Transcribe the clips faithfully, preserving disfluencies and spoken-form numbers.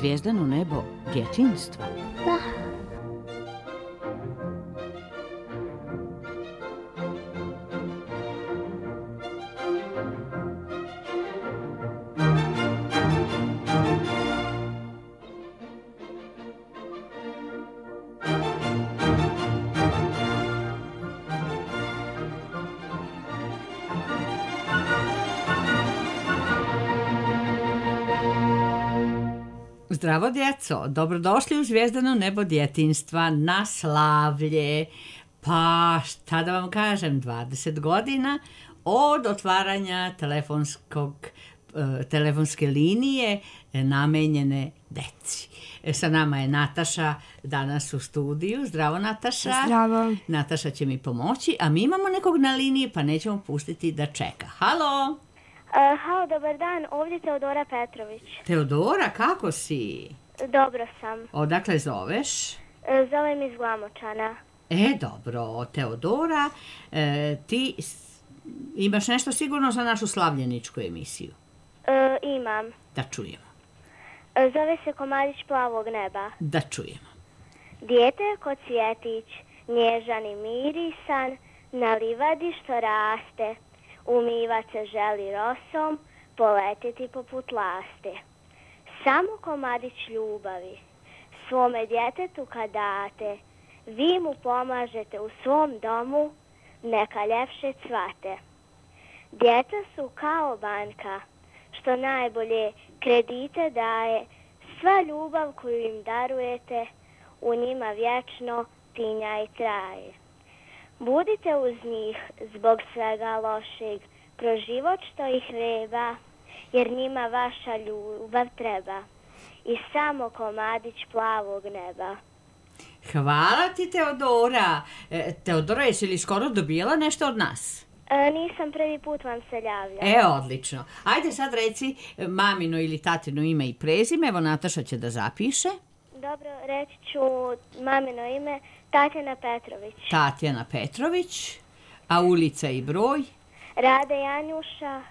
zvijezdano nebo djetinjstva? Da. Zdravo djeco, dobrodošli u zvijezdano nebo djetinjstva na slavlje. Pa šta da vam kažem, dvadeset godina od otvaranja telefonskog, telefonske linije namenjene deci. Sa nama je Nataša danas u studiju. Zdravo Nataša. Zdravo. Nataša će mi pomoći, a mi imamo nekog na liniji pa nećemo pustiti da čeka. Halo! Uh, halo, dobar dan, ovdje Teodora Petrović. Teodora, kako si? Dobro sam. Odakle zoveš? Uh, zovem iz Glamočana. E, dobro, Teodora, e, ti imaš nešto sigurno za našu slavljeničku emisiju? Uh, imam. Da čujemo. Uh, zove se Komadić plavog neba. Da čujemo. Dijete ko cvjetić, nježan i mirisan, na livadi što raste, umivat se želi rosom, poletiti poput laste. Samo komadić ljubavi, svome djetetu kad date, vi mu pomažete u svom domu, neka ljepše cvate. Djeca su kao banka, što najbolje kredite daje, sva ljubav koju im darujete, u njima vječno tinja i traje. Budite uz njih zbog svega lošeg, kroz život što ih vreba, jer njima vaša ljubav treba. I samo komadić plavog neba. Hvala ti, Teodora. E, Teodora, jesi li skoro dobijela nešto od nas? E, nisam, prvi put vam se javlja. E, odlično. Ajde sad reci mamino ili tatino ime i prezime. Evo, Nataša će da zapiše. Dobro, reći ću mamino ime Tatjana Petrović. Tatjana Petrović. A ulica i broj? Rade Janjuša,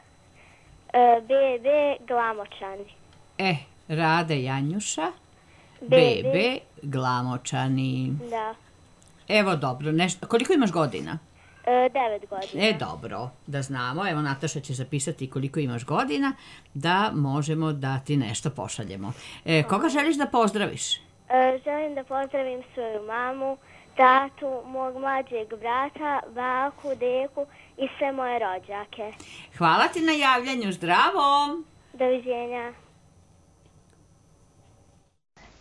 e, B B Glamočani. E, Rade Janjuša, B B Glamočani. Da. Evo, dobro. Nešto, koliko imaš godina? E, devet godina. E, dobro, da znamo. Evo, Nataša će zapisati koliko imaš godina, da možemo da ti nešto pošaljemo. E, koga želiš da pozdraviš? E, želim da pozdravim svoju mamu, tatu, mog mlađeg brata, baku, deku i sve moje rođake. Hvala ti na javljanju, zdravo! Doviđenja.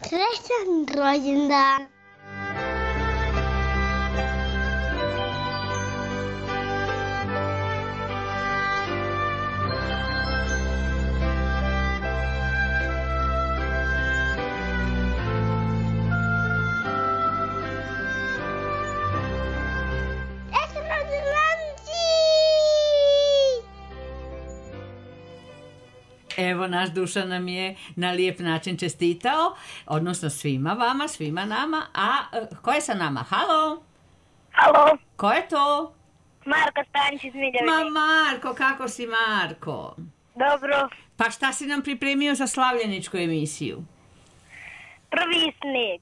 Srećan rođendan. Evo, naš Dušan nam je na lijep način čestitao, odnosno svima vama, svima nama. A ko je sa nama? Halo? Halo? Ko je to? Marko Stanić iz Miljevice. Ma Marko, kako si Marko? Dobro. Pa šta si nam pripremio za slavljeničku emisiju? Prvi sneg.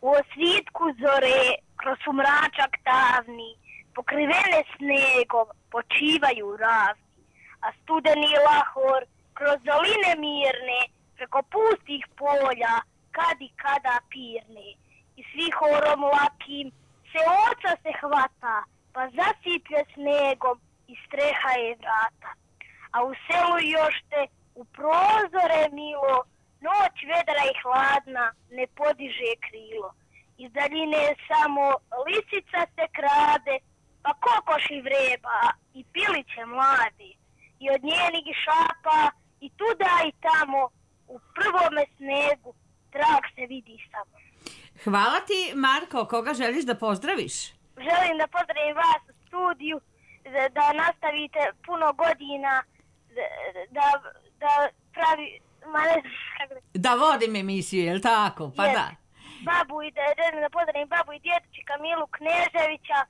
U osvitku zore, kroz sumračak tamni, pokrivene snegom, počivaju ravni, a studeni lahor kroz doline mirne, preko pustih polja, kad i kada pirne. I svi horom lakim se oca se hvata, pa zasiplje snegom i streha je vrata. A u selu još te u prozore milo, noć vedra i hladna ne podiže krilo. Iz daljine samo lisica se krade, pa kokoši vreba i piliće mlade. I od njenih šapa i tuda i tamo u prvome snegu trag se vidi samo. Hvala ti, Marko. Koga želiš da pozdraviš? Želim da pozdravim vas u studiju, da, da nastavite puno godina, da, da, da pravi... Ma ne znam kako da... Da vodim emisiju, je li tako? Pa Jer, da. Babu i da, želim da pozdravim babu i djetučika Milu Kneževića,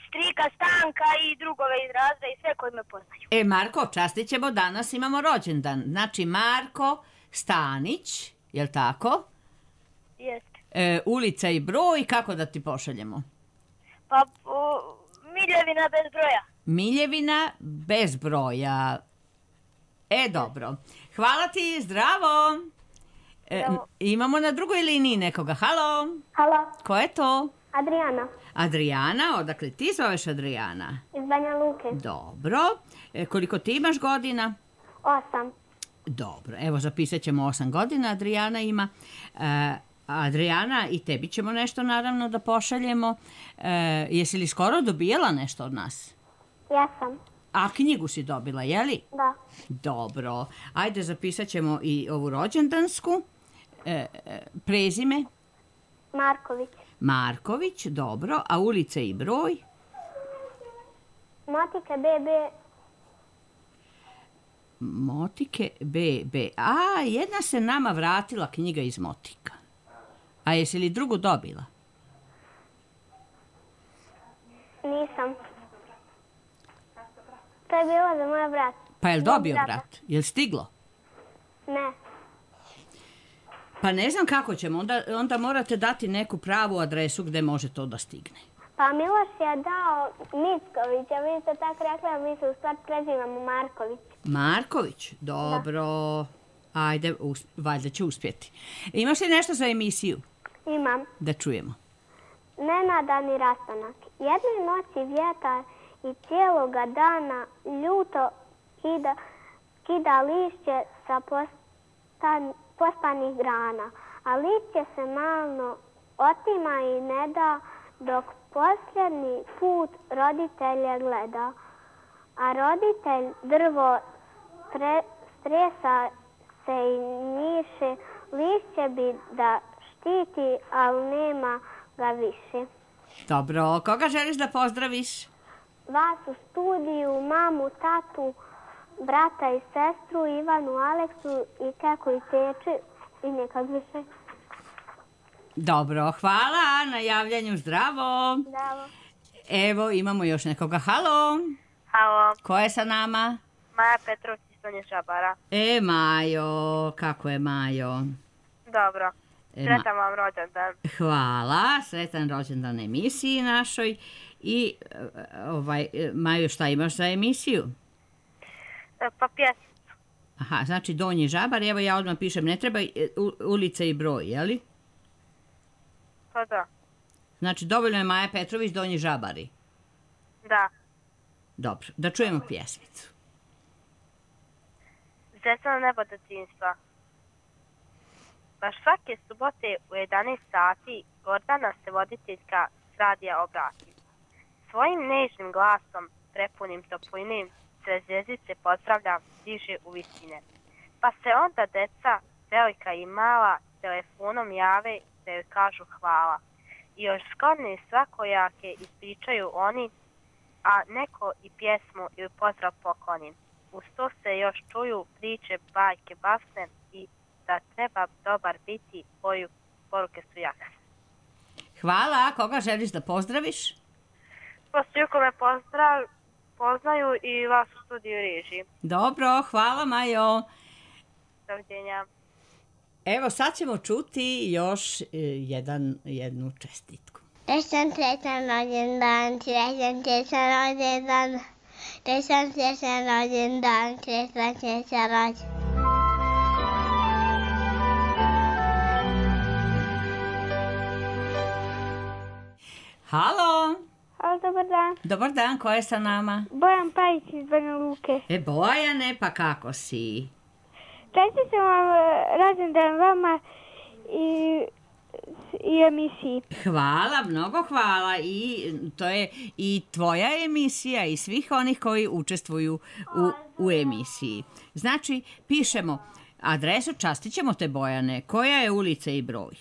strika Stanka i drugove iz razreda i sve koji me poznaju. E, Marko, častit ćemo, danas imamo rođendan. Znači, Marko, Stanić, jel tako? Jest. E, ulica i broj, kako da ti pošaljemo? Pa o, Miljevina bez broja. Miljevina bez broja. E, dobro. Hvala ti, zdravo. E, Zdravo. imamo na drugoj liniji nekoga. Halo, Halo, ko je to? Adriana Adriana, odakle ti zoveš Adriana? iz Banja Luke. Dobro. E, koliko ti imaš godina? Osam. Dobro, evo zapisat ćemo osam godina, Adriana ima. E, Adriana, i tebi ćemo nešto naravno da pošaljemo. E, jesi li skoro dobijala nešto od nas? Jesam. A knjigu si dobila, je li? Da. Dobro. Ajde, zapisat ćemo i ovu rođendansku. E, e, prezime? Marković. Marković, dobro. A ulica i broj? Motike B B. Motike B B. A, jedna se nama vratila knjiga iz Motika. A jesi li drugu dobila? Nisam. To je bilo za moj brat. Pa je li Mog dobio brata. brat? Je li stiglo? Ne. Pa ne znam kako ćemo. Onda, onda morate dati neku pravu adresu gde može to da stigne. Pa Miloš je dao Micković, a vi ste tako rekli, a mi se u stvari prezivamo Marković. Marković, dobro. Ajde, us, valjda će uspjeti. Imaš li nešto za emisiju? Imam. Da čujemo. Nenadani rastanak. Jedne noći vjetar i cijeloga dana ljuto kida, kida lišće sa postan, pospanih grana, a lišće se malo otima i ne da dok posljednji put roditelje gleda. A roditelj drvo stre, stresa se i njiše, lišće bi da štiti, ali nema ga više. Dobro, koga želiš da pozdraviš? Vas u studiju, mamu, tatu, brata i sestru, Ivanu, Aleksu i Keku i Teči i nekad više. Dobro, hvala na javljanju, zdravo. Zdravo. Evo, imamo još nekoga. Halo, Halo, ko je sa nama? Maja Petrović iz Donje Žabara. E, Majo, kako je Majo? Dobro. E, Sretan vam rođendan. Hvala, sretan rođendan emisiji našoj. I, e, ovaj, e, Majo, šta imaš za emisiju? E, Pa pjesmicu. Aha, znači Donji Žabar, evo ja odmah pišem, ne treba e, u- ulica i broj, je li? Pa da. Znači, dovoljno je Maja Petrović, Donji Žabari. Da. Dobro, da čujemo pjesmicu. Zesno nebo detinjstva. Baš svake subote u jedanaest sati Gordana se voditeljka s radija obrati. Svojim nežnim glasom, prepunim toplinim, sve zvjezdice pozdravlja, diže u visine. Pa se onda deca, velika i mala, telefonom jave da joj kažu hvala. I još zgodne svakojake ispričaju oni, a neko i pjesmu ili pozdrav pokloni. Uz to se još čuju priče, bajke, basne i da treba dobar biti, boju poruke su jake. Hvala, koga želiš da pozdraviš? Posljedko me pozdrav, poznaju i vas u studiju režiji. Dobro, hvala Majo. Doviđenja. Evo sad ćemo čuti još e, jedan, jednu čestitku. Srećan, srećan rođendan, srećan, srećan rođendan, srećan, srećan rođendan, srećan, srećan rođendan. Halo, Halo, dobar dan. dobar dan, ko je sa nama? Bojan Pajić iz Banja Luke. E, Bojane, pa kako si? Čestitam vam rođendan vama i, i emisiji. Hvala, mnogo hvala i to je i tvoja emisija i svih onih koji učestvuju u, u emisiji. Znači, pišemo adresu, častit ćemo te Bojane, koja je ulica i broj?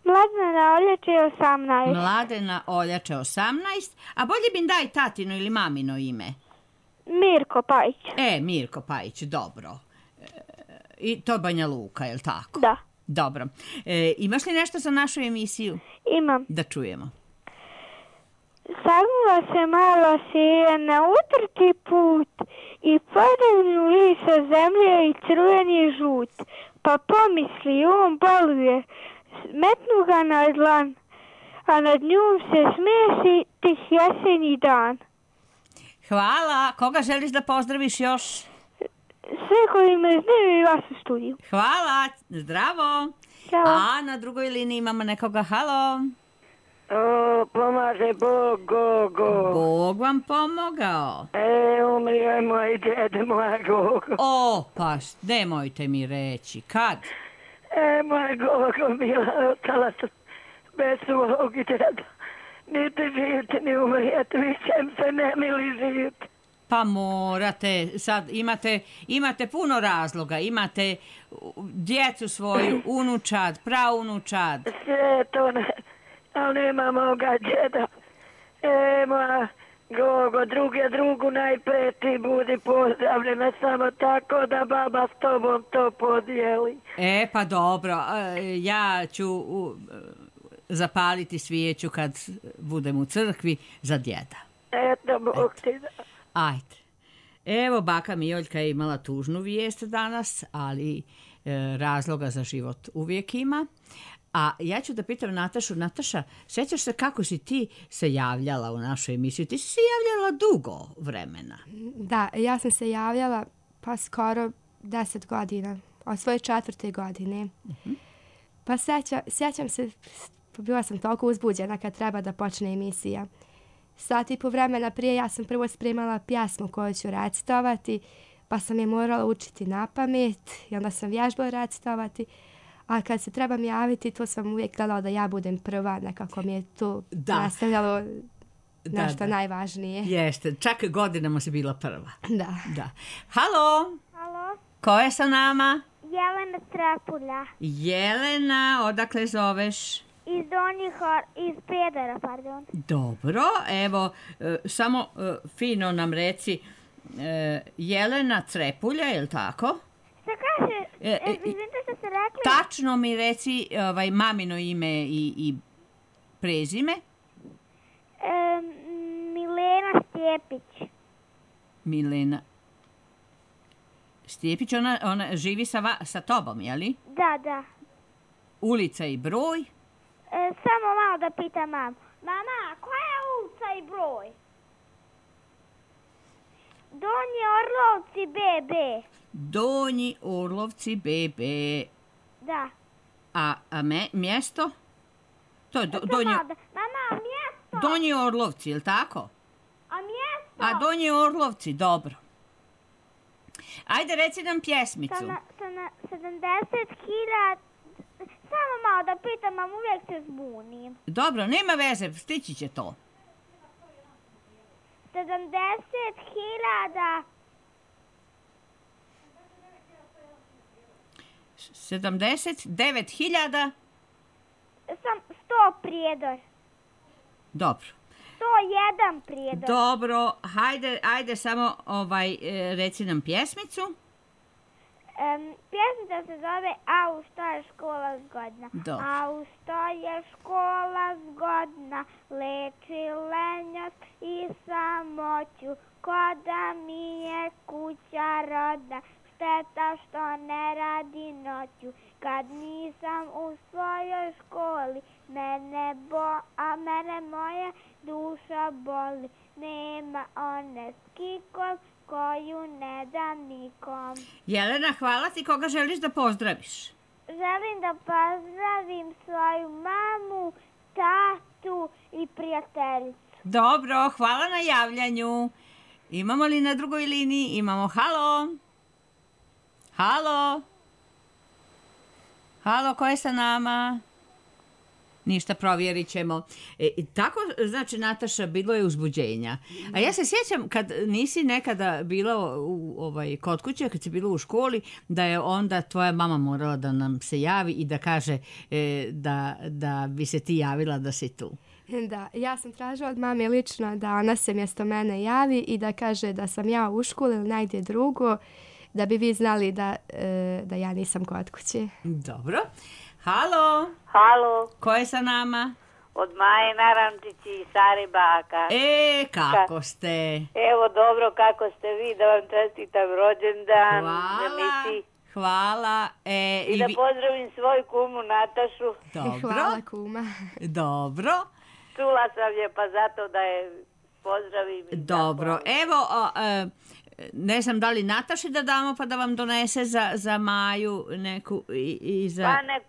Mladena Oljače osamnaest. Mladena Oljače osamnaest, a bolje bi daj tatino ili mamino ime. Mirko Pajić. E, Mirko Pajić, dobro. E, I to Banja Luka, je li tako? Da, Dobro. E, imaš li nešto za našu emisiju? imam. Da čujemo. Sagnula se malo sije na utrti put i padaju lisa zemlje i crveni žut. pa pomisli, on boluje. Metnu ga na dlan, a nad njom se smesi tih jesenji dan. Hvala. Koga želiš da pozdraviš još? Sve koji me znaju i vas u studiju. Hvala. Zdravo. Ćao. A na drugoj liniji imamo nekoga. Halo. O, pomaže Bog, go, go. Bog vam pomogao. E, umrio je moj djede, moja Gogo. O, pa nemojte mi reći. Kad? E, moja Gogo bila ostala bez svog djeda. Niti živite, ni umrijete, više se ne mili živite. Pa morate, sad imate, imate puno razloga, imate djecu svoju, unučad, praunučad. Sve to ne, ali nema moga djeda. E, moja Gogo, druge drugu najprije ti budi pozdravljena, samo tako da baba s tobom to podijeli. E, pa dobro, e, ja ću u, zapaliti svijeću kad budem u crkvi za djeda. Eto, Bog ti da. Ajde. Evo, baka Mijoljka je imala tužnu vijest danas, ali e, razloga za život uvijek ima. A ja ću da pitam Natašu. Nataša, sjećaš se kako si ti se javljala u našu emisiju? Ti si se javljala dugo vremena. Da, ja sam se javljala pa skoro deset godina, od svoje četvrte godine. Uh-huh. Pa sjeća, sjećam se, bila sam toliko uzbuđena kad treba da počne emisija. Sat i po vremena prije ja sam prvo spremala pjesmu koju ću recitovati, pa sam je morala učiti na pamet i onda sam vježbala recitovati. A kad se trebam javiti, to sam uvijek gledala da ja budem prva, nekako mi je to nastavljalo nešto da, da. najvažnije. Jeste, čak godinama si bila prva. Da. da. Halo? Halo? Ko je sa nama? Jelena Trepulja. Jelena, odakle zoveš? Iz Donjih, iz Prijedora, pardon. Dobro, evo, e, samo e, fino nam reci, e, Jelena Trepulja, je li tako? Šta kaže? E, e, izvinite što ste rekli? Tačno mi reci ovaj, mamino ime i, i prezime. E, Milena Stjepić. Milena Stjepić, ona, ona živi sa, va, sa tobom, je li? Da, da. Ulica i broj? E, samo malo da pitam mamu. Mama, koja je ulica i broj? Donji Orlovci be be. Donji Orlovci be be. Da. A, a me, mjesto? To je do, to donji... da. Mama, mjesto? Donji Orlovci, je li tako? A mjesto? A Donji Orlovci, dobro. Ajde, reci nam pjesmicu. Sa na, sa na sedamdeset hiljada... Samo malo da pitam, mam uvijek se zbunim. Dobro, nema veze, stići će to. sedamdeset hiljada... sedamdeset devet hiljada... Sam sto Prijedor. Dobro. sto jedan Prijedor. Dobro, hajde, ajde samo ovaj, e, reci nam pjesmicu. Um, pjesmica se zove Au što je škola zgodna. Dobro. Au što je škola zgodna, leči lenjost i samoću, ko da mi je kuća rodna, šteta što ne radi noću. Kad nisam u svojoj školi, mene bo, a mene moja duša boli. Nema one skikol koju ne dam nikom. Jelena, hvala ti. Koga želiš da pozdraviš? Želim da pozdravim svoju mamu, tatu i prijateljicu. Dobro, hvala na javljanju. Imamo li na drugoj liniji? Imamo. Halo? Halo? Halo, ko je sa nama? Ništa, provjerit ćemo. E, tako, znači, Nataša, bilo je uzbuđenja. A ja se sjećam kad nisi nekada bila u, ovaj, kod kuće, kad si bila u školi, da je onda tvoja mama morala da nam se javi i da kaže e, da, da bi se ti javila da si tu. Da, ja sam tražila od mame lično da ona se mjesto mene javi i da kaže da sam ja u školi ili negdje drugo, da bi vi znali da, e, da ja nisam kod kuće. Dobro. Halo? Halo? Ko je sa nama? Od Maje Naramčići i Sari Baka. E, kako ste? Evo dobro, kako ste vi, da vam čestitam rođendan. Hvala. Da mi si hvala. E, I da vi... pozdravim svoju kumu Natašu. Dobro. Hvala kuma. Dobro. Čula sam je pa zato da je pozdravim. Dobro. Evo, o, e, ne znam da li Nataši da damo pa da vam donese za, za Maju neku i, i za... Pa nek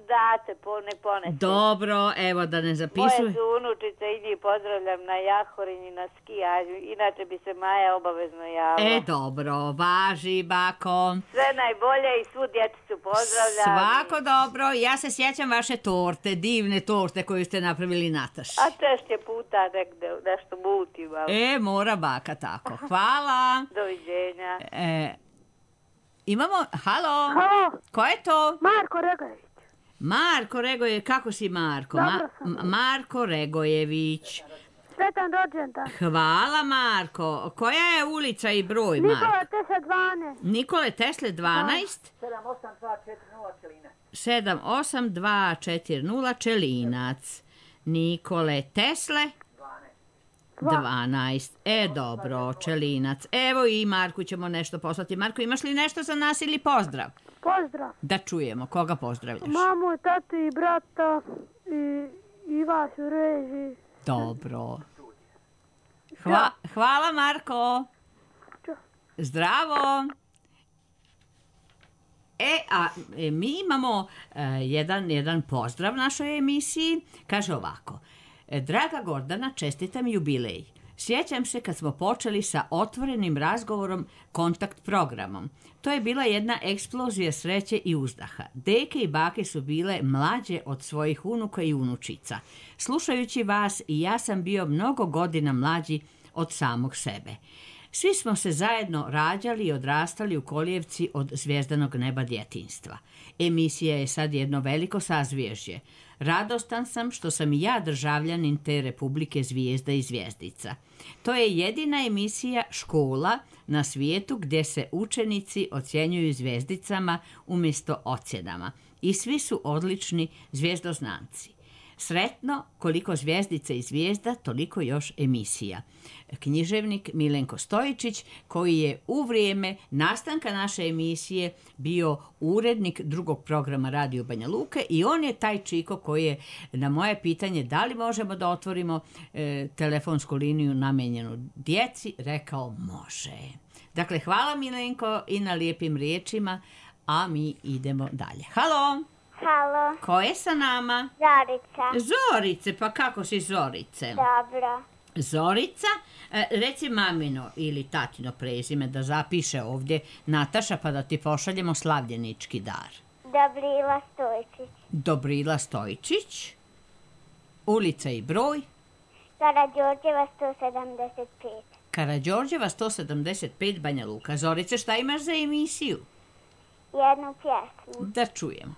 date, po, nek ponese. Dobro, evo da ne zapisujem. Moje su unučice i njih pozdravljam na Jahorinji, na skijanju. Inače bi se Maja obavezno javila. E, dobro, važi, bako. Sve najbolje i svu djecicu pozdravljam. Svako dobro. Ja se sjećam vaše torte, divne torte koju ste napravili Nataši. A češće puta negde, nešto muti malo. E, mora baka tako. Hvala. Doviđenja. E, imamo, halo. Halo, Ko je to? Marko Regojević. Marko Regojević, kako si Marko? Ma- Dobro sam. M- Marko Regojević. Sretan rođendan. Hvala Marko. Koja je ulica i broj, Marko? Nikola Tesla dvanaest. Nikole Tesle dvanaest. sedam osam dva četiri nula Čelinac. Nikole Tesle dvanaest. E, dobro, Čelinac. Evo i Marku ćemo nešto poslati. Marko, imaš li nešto za nas ili pozdrav? Pozdrav. Da čujemo. Koga pozdravljaš? Mamu, tatu i brata i, i vas u režiji. Dobro. Hva, hvala Marko. Zdravo. E, a e, mi imamo e, jedan, jedan pozdrav našoj emisiji. Kaže ovako. E, Draga Gordana, čestitam jubilej. Sjećam se kad smo počeli sa otvorenim razgovorom kontakt programom. To je bila jedna eksplozija sreće i uzdaha. Deke i bake su bile mlađe od svojih unuka i unučica. Slušajući vas i ja sam bio mnogo godina mlađi od samog sebe. Svi smo se zajedno rađali i odrastali u kolijevci od zvjezdanog neba djetinjstva. Emisija je sad jedno veliko sazvježdje. Radostan sam što sam i ja državljanin te Republike zvijezda i zvjezdica. To je jedina emisija škola na svijetu gdje se učenici ocjenjuju zvijezdicama umjesto ocjenama. I svi su odlični zvijezdoznanci. Sretno, koliko zvjezdica i zvijezda, toliko još emisija. Književnik Milenko Stojičić, koji je u vrijeme nastanka naše emisije bio urednik drugog programa Radio Banja Luke i on je taj čiko koji je na moje pitanje da li možemo da otvorimo e, telefonsku liniju namenjenu djeci, rekao može. Dakle, hvala Milenko i na lijepim riječima, a mi idemo dalje. Halo! Halo, Ko je sa nama? Zorica. Zorice, pa kako si Zorice? Dobro. Zorica, e, reci mamino ili tatino prezime da zapiše ovdje Nataša pa da ti pošaljemo slavljenički dar. Dobrila Stojčić. Dobrila Stojičić, ulica i broj, Karađorđeva sto sedamdeset pet. Karađorđeva sto sedamdeset pet Banja Luka. Zorice, šta imaš za emisiju? Jednu pjesmu. Da čujemo.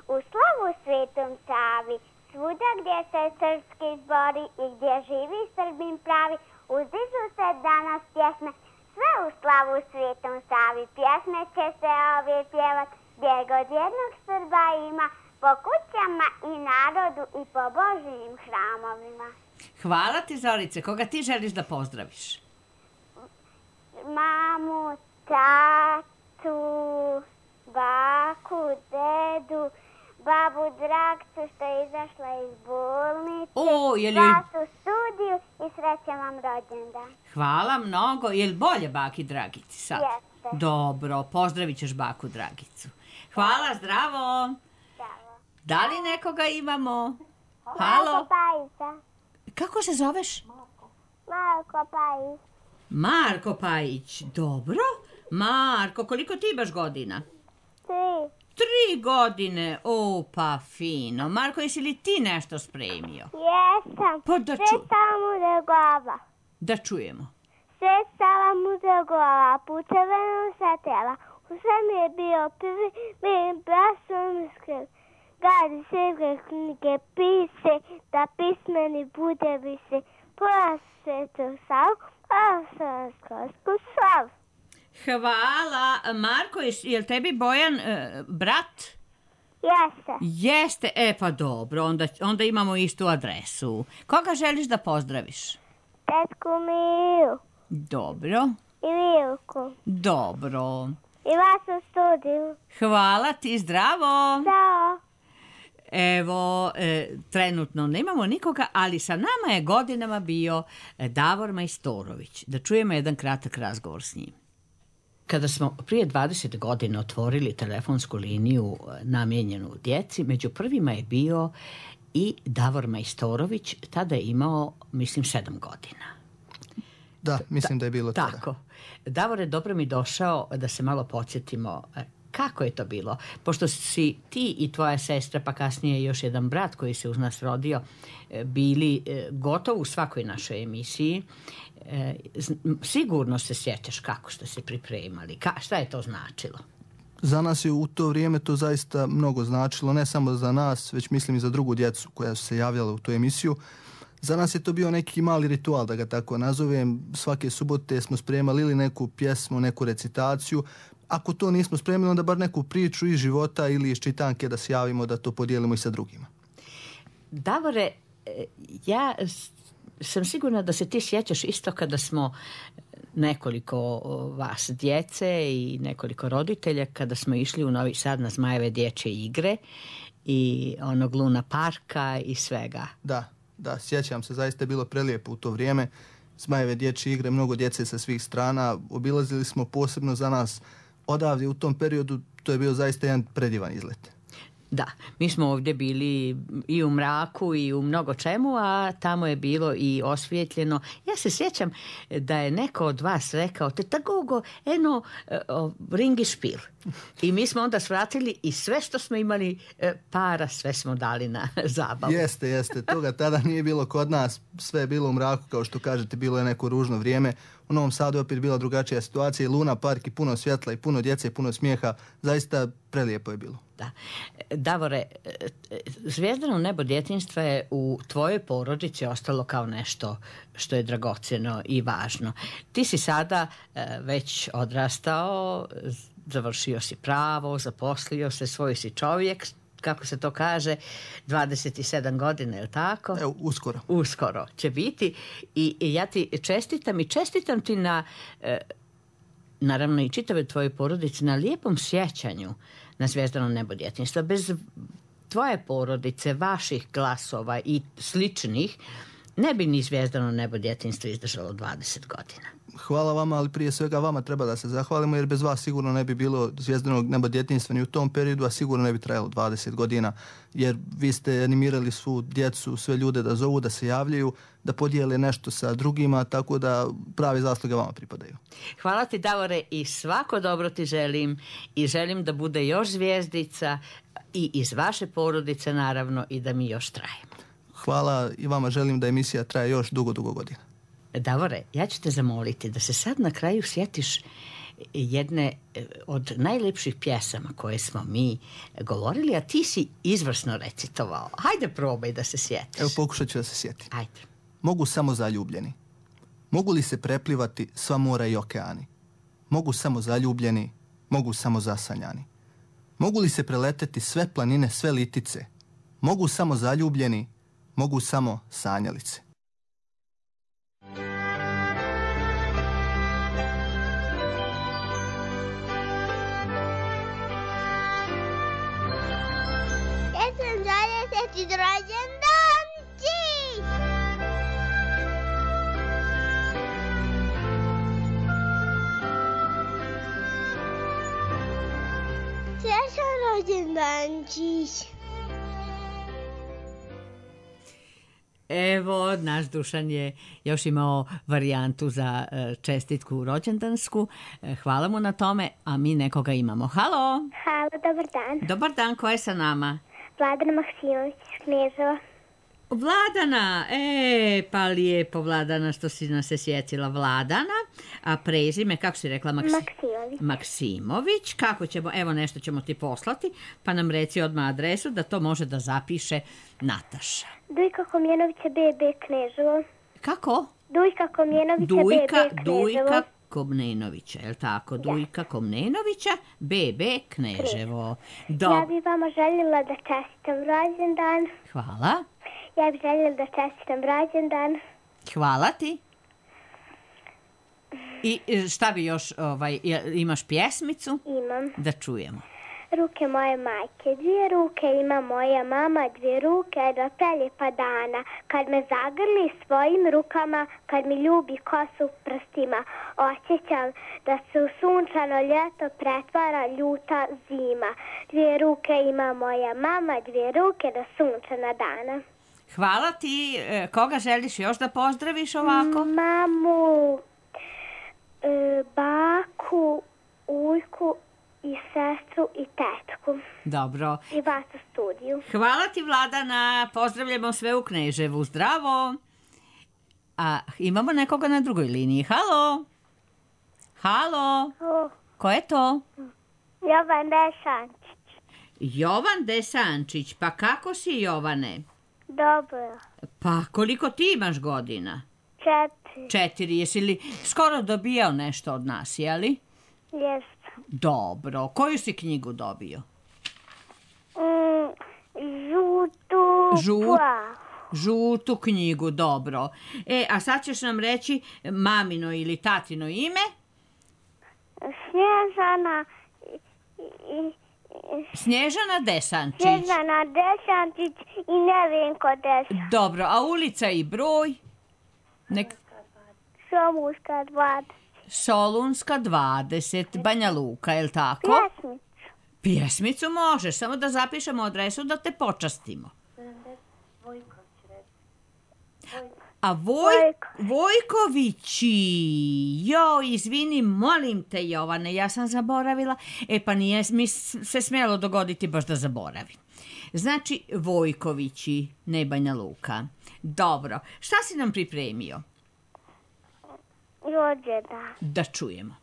U slavu Svetom Savi, svuda gdje se srpski zbori i gdje živi Srbin pravi, uzdižu se danas pjesme, sve u slavu Svetom Savi. Pjesme će se ovdje pjevat, gdje god jednog Srba ima, po kućama i narodu i po Božijim hramovima. Hvala ti Zorice, koga ti želiš da pozdraviš? Mamu, tatu, baku, dedu, babu Dragcu što je izašla iz bolnice, O, je li... vas u studiju i srećan vam rođendan. Hvala mnogo. Je li bolje baki Dragici sad? Jeste. Dobro, pozdravit ćeš baku Dragicu. Hvala, zdravo. Bravo. Da li nekoga imamo? Marko Halo? Pajića. Kako se zoveš? Marko Pajić. Marko Pajić. Dobro. Marko, koliko ti imaš godina? Tri. Tri godine. O, pa fino. Marko, jesi li ti nešto spremio? Jesam. Pa da Sve ču... samo mu glava. Da čujemo. Sve stala mu za glava, puceveno sa tela. U svem je bio prvi, mi brasom skrb. Gadi sve knjige pise, da pismeni bude više. Pola svetu sav, a sam skosku sav. Hvala. Marko, je li tebi Bojan e, brat? Jeste. Jeste. E, pa dobro. Onda, onda imamo istu adresu. Koga želiš da pozdraviš? Tetku Miju Dobro. i Vilku. Dobro. I vas u studiju. Hvala ti, zdravo. Ćao. Evo, e, trenutno nemamo nikoga, ali sa nama je godinama bio Davor Majstorović. Da čujemo jedan kratak razgovor s njim. Kada smo prije dvadeset godina otvorili telefonsku liniju namijenjenu djeci, među prvima je bio i Davor Majstorović, tada je imao, mislim, sedam godina. Da, mislim da je bilo tada. Tako. Davore, dobro mi došao da se malo podsjetimo kako je to bilo. Pošto si ti i tvoja sestra, pa kasnije još jedan brat koji se uz nas rodio, bili gotovo u svakoj našoj emisiji, sigurno se sjećaš kako ste se pripremali. Ka, šta je to značilo? Za nas je u to vrijeme to zaista mnogo značilo, ne samo za nas, već mislim i za drugu djecu koja su se javljala u tu emisiju. Za nas je to bio neki mali ritual, da ga tako nazovem. Svake subote smo spremali ili neku pjesmu, neku recitaciju. Ako to nismo spremili, onda bar neku priču iz života ili iz čitanke da se javimo, da to podijelimo i sa drugima. Davore, ja sam sigurna da se ti sjećaš isto kada smo nekoliko vas djece i nekoliko roditelja, kada smo išli u Novi Sad na Zmajeve dječje igre i onog Luna parka i svega. Da, da, sjećam se, zaista je bilo prelijepo u to vrijeme. Zmajeve dječje igre, mnogo djece sa svih strana, obilazili smo posebno za nas odavdje u tom periodu, to je bio zaista jedan predivan izlet. Da, mi smo ovdje bili i u mraku i u mnogo čemu, a tamo je bilo i osvijetljeno. Ja se sjećam da je neko od vas rekao, te tagogo, eno, uh, ringi špil. I mi smo onda svratili i sve što smo imali uh, para, sve smo dali na zabavu. Jeste, jeste, toga tada nije bilo kod nas, sve je bilo u mraku, kao što kažete, bilo je neko ružno vrijeme. U Novom Sadu opet bila drugačija situacija, i Luna park i puno svjetla i puno djece i puno smijeha, zaista prelijepo je bilo. Da. Davore, Zvijezdano nebo djetinjstva je u tvojoj porodici ostalo kao nešto što je dragocjeno i važno. Ti si sada već odrastao, završio si pravo, zaposlio se, svoj si čovjek, kako se to kaže, dvadeset sedam godina, je li tako? Evo, uskoro. Uskoro će biti. I, i ja ti čestitam i čestitam ti na, naravno i čitave tvoje porodice, na lijepom sjećanju na Zvijezdano nebo djetinjstva. Bez tvoje porodice, vaših glasova i sličnih, ne bi ni Zvijezdano nebo djetinjstva izdržalo dvadeset godina. Hvala vama, ali prije svega vama treba da se zahvalimo, jer bez vas sigurno ne bi bilo Zvijezdanog neba djetinjstva ni u tom periodu, a sigurno ne bi trajalo dvadeset godina, jer vi ste animirali svu djecu, sve ljude da zovu, da se javljaju, da podijele nešto sa drugima, tako da pravi zasluge vama pripadaju. Hvala ti, Davore, i svako dobro ti želim i želim da bude još zvijezdica i iz vaše porodice, naravno, i da mi još trajemo. Hvala i vama, želim da emisija traje još dugo, dugo godina. Davore, ja ću te zamoliti da se sad na kraju sjetiš jedne od najlepših pjesama koje smo mi govorili, a ti si izvrsno recitovao. Hajde, probaj da se sjetiš. Evo, pokušat ću da se sjetim. Hajde. Mogu samo zaljubljeni. Mogu li se preplivati sva mora i okeani? Mogu samo zaljubljeni, mogu samo zasanjani. Mogu li se preleteti sve planine, sve litice? Mogu samo zaljubljeni, mogu samo sanjalice. Rođendanci! Srećan rođendančić! Evo, naš Dušan je još imao varijantu za čestitku rođendansku. Hvala mu na tome, a mi nekoga imamo. Halo! Halo, dobar dan. Dobar dan, ko je sa nama? Vladana Maksimović iz Kneževa. Vladana, e, pa lijepo Vladana što si nas se sjetila. Vladana, a prezime, kako si rekla? Maksi... Maksimović. Maksimović, kako ćemo, evo nešto ćemo ti poslati, pa nam reci odmah adresu da to može da zapiše Nataša. Dujka Komjenovića be be Kneževo. Kako? Dujka Komjenovića Dujka, be be Kneževo. Dujka Komnenovića, je li tako? Da. Dujka Komnenovića, be be Kneževo. Do... Ja bih vama željela da čestitam rođendan. Hvala. Ja bih željela da čestitam rođendan. Hvala ti. I šta bi još, ovaj, imaš pjesmicu? Imam. Da čujemo. Ruke moje majke, dvije ruke ima moja mama, dvije ruke do preljepa dana. Kad me zagrli svojim rukama, kad mi ljubi kosu prstima, osjećam da se u sunčano ljeto pretvara ljuta zima. Dvije ruke ima moja mama, dvije ruke do sunčana dana. Hvala ti. Koga želiš još da pozdraviš ovako? Mamu, baku, ujku i sestru i tetku. Dobro. I vas u studiju. Hvala ti, Vladana. Pozdravljamo sve u Kneževu. Zdravo. A imamo nekoga na drugoj liniji. Halo? Halo? O. Ko je to? Jovan Dešančić. Jovan Desančić. Pa kako si, Jovane? Dobro. Pa koliko ti imaš godina? Četiri. Četiri. Jesi li skoro dobijao nešto od nas, jeli? Jesam. Dobro. Koju si knjigu dobio? Mm, žutu Žut, plavu. žutu knjigu, dobro. E, a sad ćeš nam reći mamino ili tatino ime? Snježana i, i, i, Snježana Desančić. Snježana Dešančić i Nevenko Dešančić. Dobro, a ulica i broj? Nek... Somuška dvadeset. Solunska dvadeset, Banja Luka, je li tako? Pjesmicu. Pjesmicu možeš, samo da zapišemo adresu da te počastimo. A Voj, Vojkovići, jo, izvini, molim te, Jovane, ja sam zaboravila. E pa nije mi se smjelo dogoditi baš da zaboravim. Znači, Vojkovići, ne Banja Luka. Dobro, šta si nam pripremio? Rođendan. Da čujemo.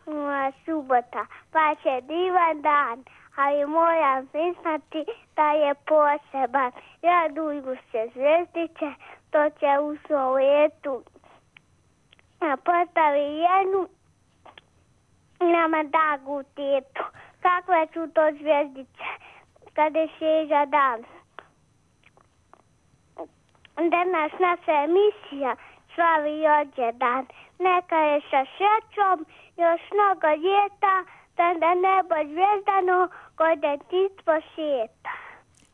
Moja subota, pa će divan dan, ali moram priznati da je poseban. Raduju se zvjezdice, to će u svojetu postavi jednu nama dagu tetu. Kakve su to zvjezdice, kada je svježa dan. Danas naša emisija slavi rođendan. Neka je sa srećom još mnogo ljeta, da na nebo zvijezdano kod djetinjstvo šeta.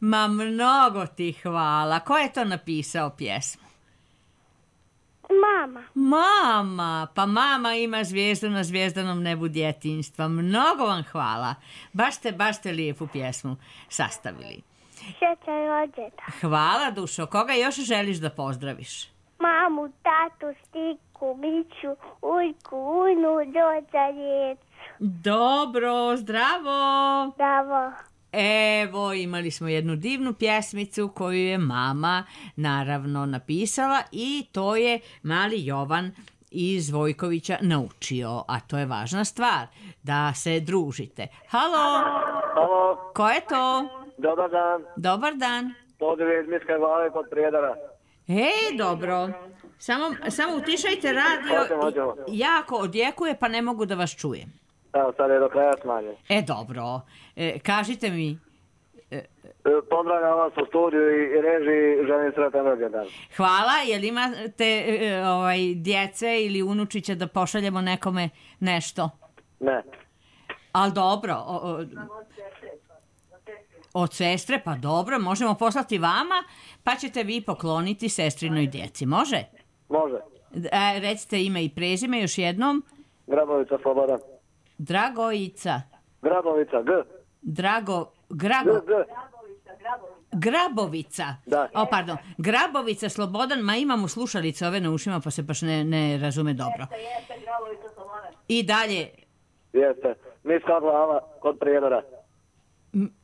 Ma mnogo ti hvala. Ko je to napisao pjesmu? Mama. Mama, pa mama ima zvijezdu na zvijezdanom nebu djetinjstva. Mnogo vam hvala. Baš ste, baš ste lijepu pjesmu sastavili. Srećan rođendan. Hvala, dušo. Koga još želiš da pozdraviš? Mamu, tatu, Stiku, Miću, Ujku, Ujnu, Đorđa, djecu. Dobro, zdravo. Zdravo. Evo, imali smo jednu divnu pjesmicu koju je mama naravno napisala i to je mali Jovan iz Vojkovića naučio, a to je važna stvar, da se družite. Halo? Halo? Ko je to? Dobar dan. Dobar dan. Pozdrav iz Miške Glave kod Prijedara. Ej, dobro. Samo, samo utišajte radio. Hoćemo, hoćemo. Jako odjekuje, pa ne mogu da vas čujem. Evo, sad je do kraja smanjen. E, dobro. E, kažite mi... E, Pozdravljam vas u studiju i, i režiji, želim sretan rođendan. Hvala. Jel imate e, ovaj, djece ili unučića da pošaljemo nekome nešto? Ne. Ali dobro. O, o, od sestre, pa dobro, možemo poslati vama, pa ćete vi pokloniti sestrinoj djeci. Može? Može. E, recite ime i prezime još jednom. Grabovica Slobodan. Dragojica. Grabovica, G. Drago, Grago... G, G. Grabovica. Da. O, pardon. Grabovica Slobodan, ma imamo slušalice ove na ušima, pa se baš ne, ne razume dobro. Jeste, jeste, Grabovica Slobodan. I dalje... Jeste. Miška Glava kod Prijedora. M...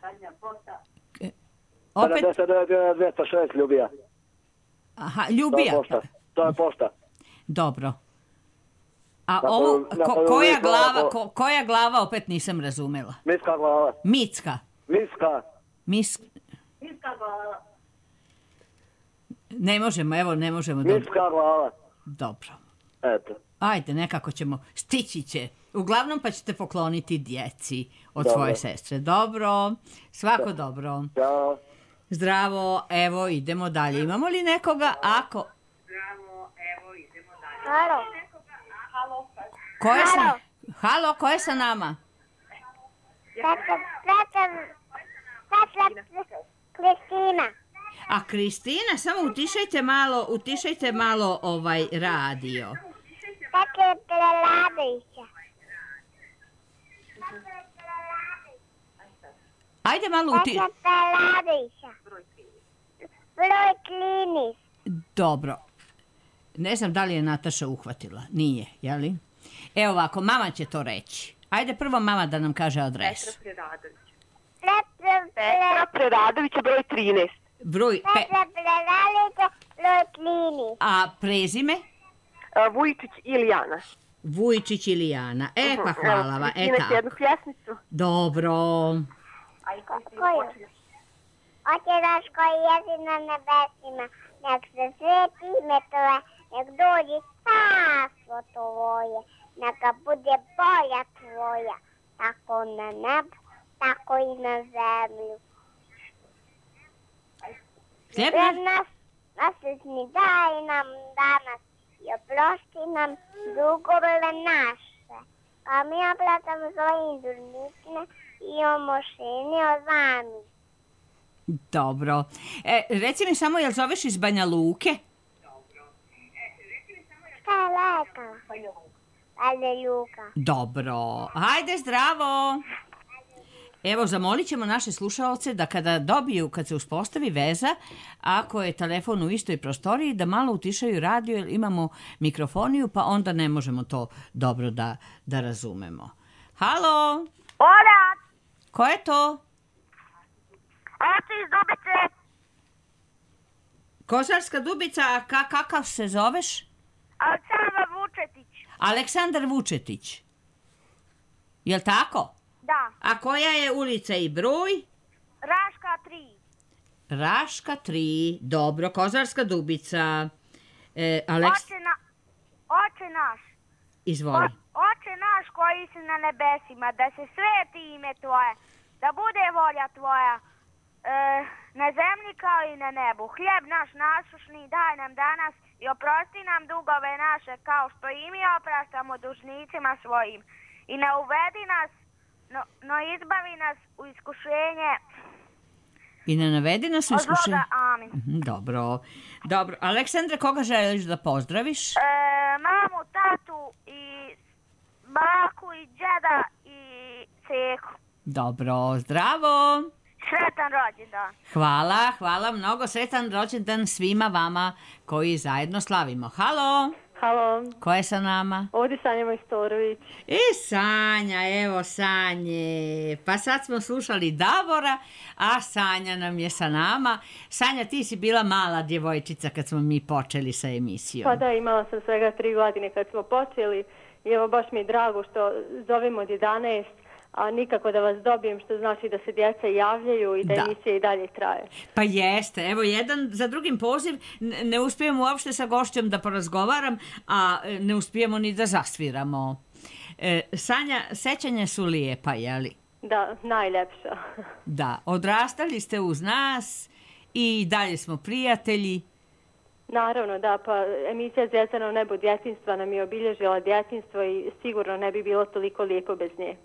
Zadnja posta. Opet... deset devet dvjesto šest Ljubija. Aha, Ljubija. To je pošta. To je pošta. Dobro. A Na ovo, koju- na ko, koju koja, vi glava, glavo- ko, koja glava opet nisam razumela? Miška Glava. Micka. Miška. Mis... Miška Glava. Ne možemo, evo, ne možemo. Dobro. Miška Glava. Dobro. Eto. Ajde, nekako ćemo, stići će. Uglavnom pa ćete pokloniti djeci od Dobro. svoje sestre. Dobro, svako dobro. Ćao. Zdravo, evo idemo dalje. Imamo li nekoga? Ako... Halo. Ko je sa... Halo, ko je sa nama? Petra, Petra, Petra, Kristina. A Kristina, samo utišajte malo, utišajte malo ovaj radio. Petra Preladovića. Ajde malo uti... Petra Preladovića. Broj klinis. Dobro. Ne znam da li je Nataša uhvatila. Nije, jeli? Evo ovako, mama će to reći. Ajde prvo mama da nam kaže adresu. Petra Preladovića. Petra Preradovića, broj trinaest. Broj... Pe... Petra Preladovića, broj klinis. A prezime? Vujčić Ilijana. Vujčić Ilijana. E, pa hvala vam. E, tako. jednu pjesmicu. Dobro. Koju? Oče naš koji jesi na nebesima, nek se sveti ime tvoje, nek dođi carstvo tvoje, neka bude volja tvoja, tako na nebu, tako i na zemlju. Hljeb nas, nasretni daj nam danas i oprosti nam dugove naše, a mi opraštamo svojim dužnicima i omošeni od vami. Dobro. E, reci mi samo, jel zoveš iz Banja Luke? Šta je lekala? Banja Luka. Dobro. Hajde, zdravo. Evo, zamolit ćemo naše slušaoce da kada dobiju, kad se uspostavi veza, ako je telefon u istoj prostoriji, da malo utišaju radio, jer imamo mikrofoniju, pa onda ne možemo to dobro da, da razumemo. Halo? Orat! Ko je to? Oci iz Dubice. Kozarska Dubica, a ka, kakav se zoveš? Aleksandar Vučetić. Aleksandar Vučetić. Jel tako? Da. A koja je ulica i broj? Raška tri. Raška tri. Dobro, Kozarska Dubica. E, Aleks... Oče, na... Oče naš. Izvoli. O, oče naš koji si na nebesima, da se sveti ime tvoje, da bude volja tvoja, e, na zemlji kao i na nebu. Hljeb naš nasušni daj nam danas i oprosti nam dugove naše kao što i mi opraštamo dužnicima svojim. I ne uvedi nas, no, no izbavi nas u iskušenje. I ne navedi nas u Od iskušenje. zloga, amin. Dobro. Dobro. Aleksandre, koga želiš da pozdraviš? E, mamu, tatu i baku i džeda i ceku. Dobro, zdravo. Sretan rođendan. Hvala, hvala mnogo. Sretan rođendan svima vama koji zajedno slavimo. Halo? Halo, Ko je sa nama? ovdje Sanja Majstorović. E, Sanja, evo Sanje. Pa sad smo slušali Davora, a Sanja nam je sa nama. Sanja, ti si bila mala djevojčica kad smo mi počeli sa emisijom. Pa da, imala sam svega tri godine kad smo počeli i evo baš mi je drago što zovemo od jedanaest, a nikako da vas dobijem, što znači da se djeca javljaju i da, Da. emisija i dalje traje. Pa jeste, evo jedan za drugim poziv, n- ne uspijemo uopšte sa gošćom da porazgovaram, a e, ne uspijemo ni da zasviramo. E, Sanja, sećanja su lijepa, jeli? Da, najljepša. Da, odrastali ste uz nas i dalje smo prijatelji. Naravno, da, pa emisija Zvezdano nebo djetinjstva nam je obilježila djetinjstvo i sigurno ne bi bilo toliko lijepo bez nje.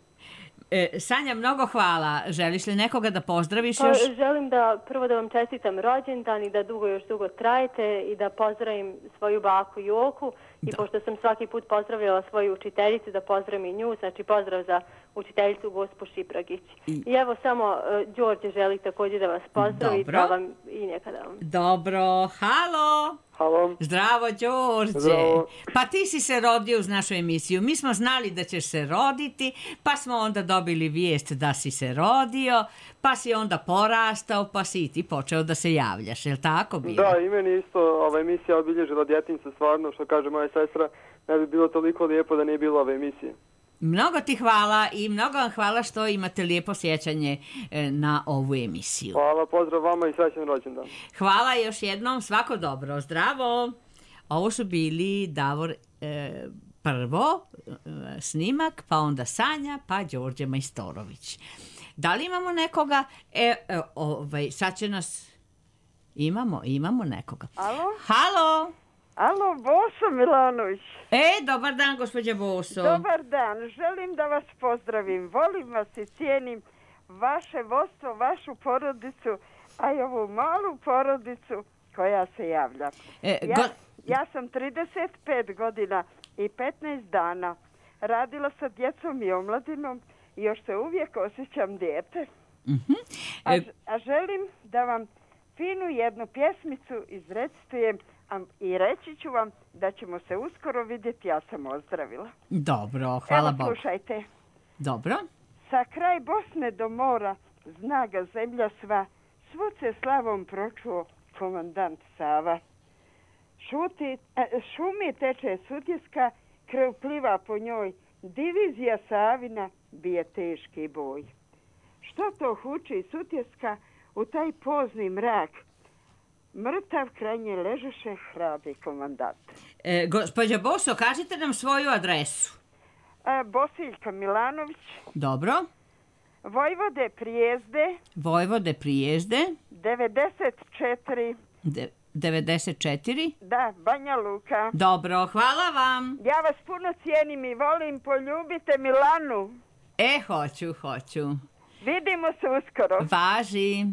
E, Sanja, mnogo hvala. Želiš li nekoga da pozdraviš Pa, još? želim da prvo da vam čestitam rođendan i da dugo još dugo trajete i da pozdravim svoju baku Joku i Da. pošto sam svaki put pozdravljala svoju učiteljicu, da pozdravim i nju, znači pozdrav za učiteljicu gospu Šipragić. I- I evo samo uh, Đorđe želi također da vas pozdravi, Dobro. da vam i nekada vam. Dobro, halo. Halo. Zdravo, Đorđe. Zdravo. Pa ti si se rodio uz našu emisiju. Mi smo znali da ćeš se roditi, pa smo onda dobili vijest da si se rodio, pa si onda porastao, pa si i ti počeo da se javljaš. Je li tako bilo? Da, i meni isto ova emisija obilježila djetinjstvo, stvarno, što kaže moja sestra, ne bi bilo toliko lijepo da nije bilo ove emisije. Mnogo ti hvala i mnogo vam hvala što imate lijepo sjećanje e, na ovu emisiju. Hvala, pozdrav vama i srećan rođendan. Hvala još jednom, svako dobro, zdravo. Ovo su bili Davor e, prvo, e, snimak, pa onda Sanja, pa Đorđe Majstorović. Da li imamo nekoga? E, e, ovaj, sad će nas... Imamo, imamo nekoga. Alo? Halo? Alo, Boso Milanović. E, dobar dan, gospođa Boso. Dobar dan, želim da vas pozdravim. Volim vas i cijenim vaše vodstvo, vašu porodicu, a i ovu malu porodicu koja se javlja. E, ja, go... ja sam trideset pet godina i petnaest dana radila sa djecom i omladinom i još se uvijek osjećam dijete. Mm-hmm. E... A, a želim da vam finu jednu pjesmicu izrecitujem i reći ću vam da ćemo se uskoro vidjeti, ja sam ozdravila. Dobro, hvala Evo, Bogu. slušajte. Dobro. Sa kraj Bosne do mora, zna ga zemlja sva, svud se slavom pročuo komandant Sava. Šuti, šumi teče Sutjeska, krv pliva po njoj, divizija Savina bije teški boj. Što to huči Sutjeska u taj pozni mrak? Mrtav kraj nje ležeše hrabri komandant. E, gospođa Boso, kažite nam svoju adresu. E, Bosiljka Milanović. Dobro. Vojvode Prijezde. Vojvode Prijezde. devedeset četiri. De, devedeset četiri. Da, Banja Luka. Dobro, hvala vam. Ja vas puno cijenim i volim, poljubite Milanu. E, hoću, hoću. Vidimo se uskoro. Važi.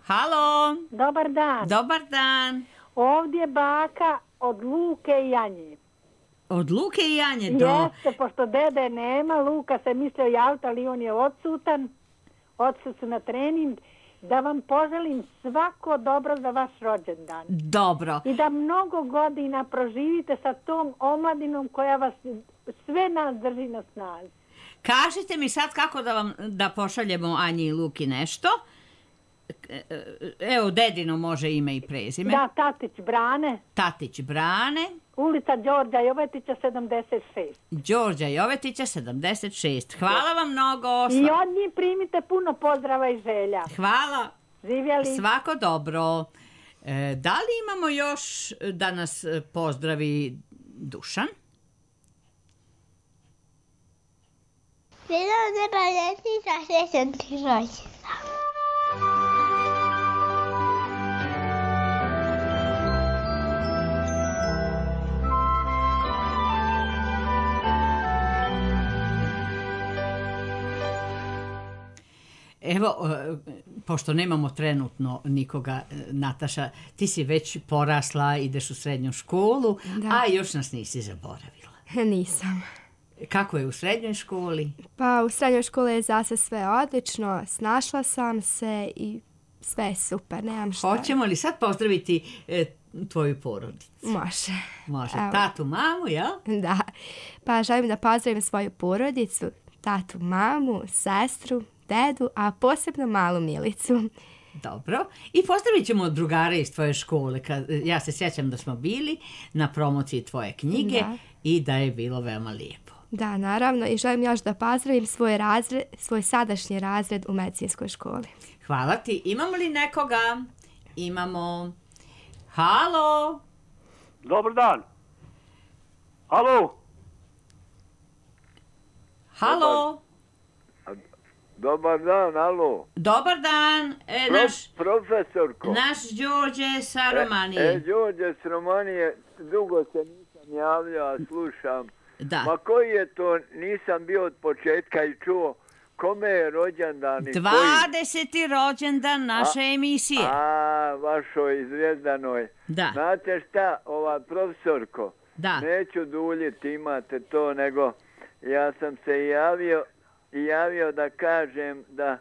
Halo. Dobar dan. Dobar dan. Ovdje baka od Luke i Janje. Od Luke i Janje do... Jeste, pošto dede nema, Luka se mislio javiti, ali on je odsutan. Otišli su na trening. Da vam poželim svako dobro za vaš rođendan. Dobro. I da mnogo godina proživite sa tom omladinom koja vas sve nas drži na snazi. Kažite mi sad kako da vam da pošaljemo Anji i Luki nešto. Evo, dedino može ime i prezime. Da, Tatić Brane. Tatić Brane. Ulica Đorđa Jovetića sedamdeset šest. Đorđa Jovetića sedamdeset šest. Hvala vam mnogo. I od njih primite puno pozdrava i želja. Hvala. Živjeli. Svako dobro. E, da li imamo još da nas pozdravi Dušan? Bilo ne paljeti za srećan ti rođendan. Evo, pošto nemamo trenutno nikoga, Nataša, ti si već porasla, ideš u srednju školu, da. A još nas nisi zaboravila. Nisam. Kako je u srednjoj školi? Pa u srednjoj školi je zase sve odlično, snašla sam se i sve je super, nemam šta. Hoćemo li sad pozdraviti e, tvoju porodicu? Može. Može. Evo. Tatu, mamu, jel? Da. Pa želim da pozdravim svoju porodicu, tatu, mamu, sestru, dedu, a posebno malu Milicu. Dobro. I pozdravit ćemo drugare iz tvoje škole. Kad, ja se sjećam da smo bili na promociji tvoje knjige da. I da je bilo veoma lijepo. Da, naravno. I želim još da pozdravim svoj, razred, svoj sadašnji razred u medicinskoj školi. Hvala ti. Imamo li nekoga? Imamo. Halo? Dobar dan. Halo? Halo? Dobar dan, alo. Dobar dan, e, Pro, naš... Profesorko. Naš Đorđe sa Romanije. E, e, Đorđe s Romanije, dugo se nisam javljao, slušam. Da. Ma koji je to, nisam bio od početka i čuo, kome je rođendan i dvadeseti koji... rođendan naše a, emisije. A, vašoj Zvijezdanoj. Da. Znate šta, ova profesorko, da. Neću duljiti, imate to, nego ja sam se javio i javio da kažem da,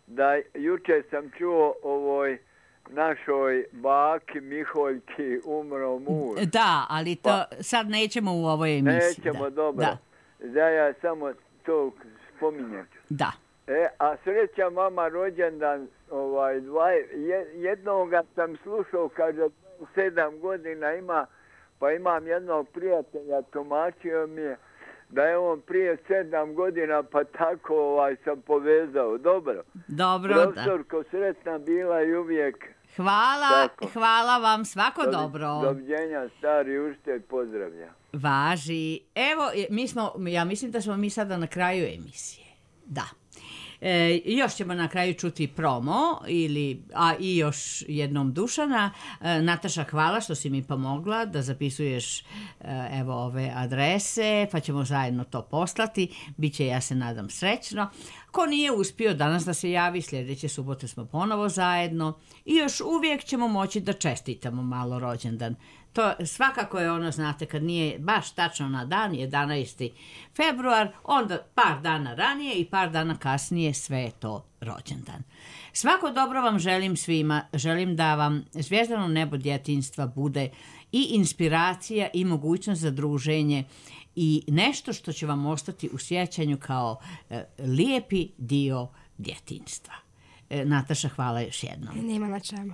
da jučer sam čuo ovoj našoj baki Miholjki umro muž. Da, ali to pa, sad nećemo u ovoj emisiji. Nećemo, da. dobro. Da. Da ja samo to spominjem. Da. E, a sreća mama rođendan, ovaj, dva, jednoga sam slušao, kaže, sedam godina ima, pa imam jednog prijatelja, tumačio mi je, da je on prije sedam godina, pa tako ovaj, sam povezao. Dobro. Dobro, profesorko, da. Sretna bila i uvijek. Hvala, tako. Hvala vam, svako Dovi, dobro. Doviđenja, stari uštelj, pozdravlja. Važi. Evo, mi smo, ja mislim da smo mi sada na kraju emisije. Da. E, još ćemo na kraju čuti promo, ili, a i još jednom Dušana. E, Nataša, hvala što si mi pomogla da zapisuješ e, evo ove adrese, pa ćemo zajedno to poslati. Biće, ja se nadam, srećno. Ko nije uspio danas da se javi, sljedeće subote smo ponovo zajedno i još uvijek ćemo moći da čestitamo malo rođendan. To svakako je ono, znate, kad nije baš tačno na dan, jedanaesti februar, onda par dana ranije i par dana kasnije sve je to rođendan. Svako dobro vam želim svima, želim da vam Zvijezdano nebo djetinjstva bude i inspiracija i mogućnost za druženje i nešto što će vam ostati u sjećanju kao e, lijepi dio djetinjstva. E, Nataša, hvala još jednom. Nema na čemu.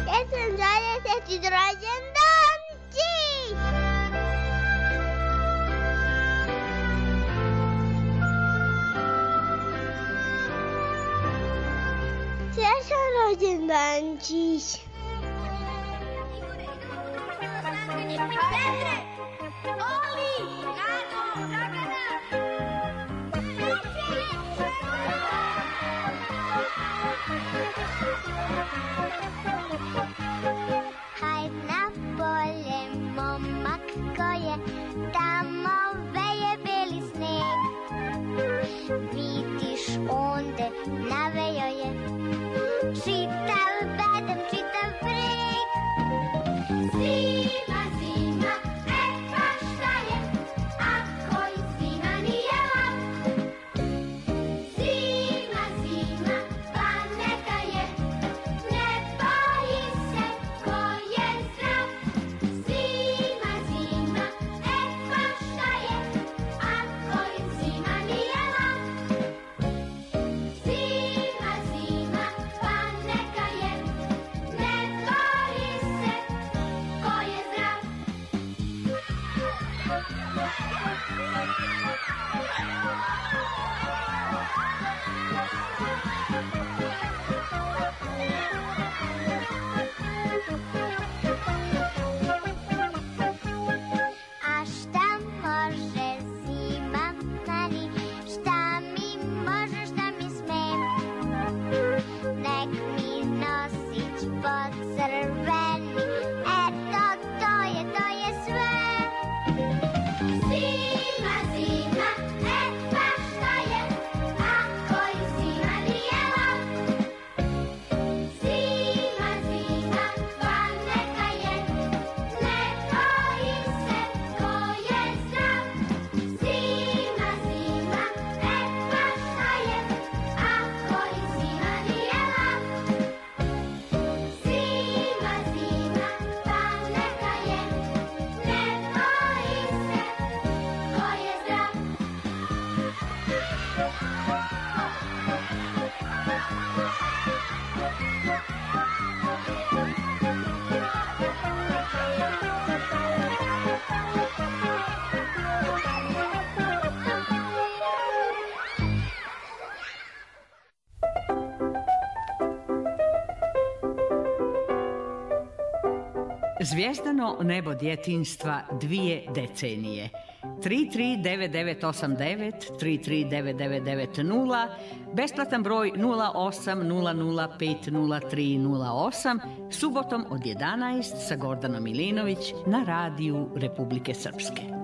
Jesam dvadeset rođendanci! Srećan rođendančić! Petre! Oli! Nano! Dragana! Hajd na polje, momak ko je, tamo veje beli sneg. Vidiš onde navejo je čitav bedem, čitav breg. Zima, zima, e pa šta je, ako i zima nije lak. Zima, zima, pa neka je, ne boji se ko je zdrav. Zima, zima, e pa šta je, ako i zima nije lak. Zima, zima, pa neka je, ne boji se ko je zdrav. A šta može zima meni, šta mi može, šta mi sme? Nek mi nosić pocrveni, eto to je, to je sve. Zima, zima, e pa šta je, ako i zima nije lak. Zima, zima, pa neka je, ne boji se ko je zdrav. Zima, zima, e pa šta je, ako i zima nije lak. Zima, zima, pa neka je, ne boji se ko je zdrav. Zvijezdano nebo djetinjstva dvije decenije. tri tri devet devet osam devet, tri tri devet devet devet nula, besplatan broj nula osam nula nula pet nula tri nula osam, subotom od jedanaest sa Gordanom Milinović na radiju Republike Srpske.